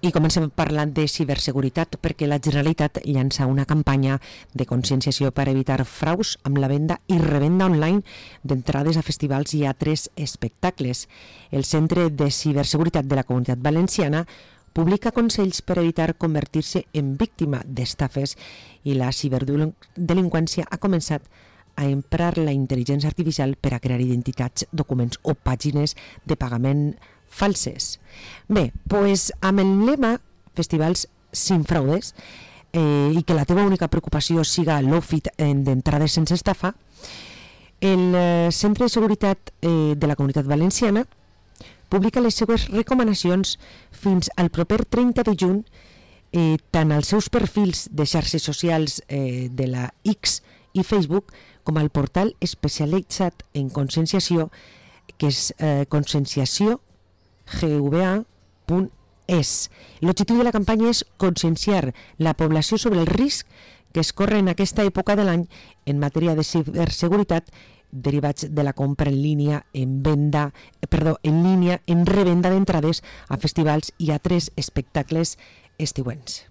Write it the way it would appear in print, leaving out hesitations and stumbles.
I comencem parlant de ciberseguretat perquè la Generalitat llança una campanya de conscienciació per evitar fraus amb la venda i revenda online d'entrades a festivals i altres espectacles. El Centre de Ciberseguretat de la Comunitat Valenciana publica consells per evitar convertir-se en víctima d'estafes i la ciberdelinqüència ha començat a emprar la intel·ligència artificial per a crear identitats, documents o pàgines de pagament falses. Bé, doncs amb el lema Festivals sin fraudes i que la teva única preocupació siga l'offit d'entrades sense estafa, el Centre de Seguretat de la Comunitat Valenciana publica les seues recomanacions fins al proper 30 de juny tant als seus perfils de xarxes socials de la X i Facebook com al portal especialitzat en conscienciació que és conscienciació.gva.es. L'objectiu de la campanya és conscienciar la població sobre el risc que es corre en aquesta època de l'any en matèria de ciberseguretat derivats de la compra en línia en revenda d'entrades a festivals i altres espectacles estiuencs.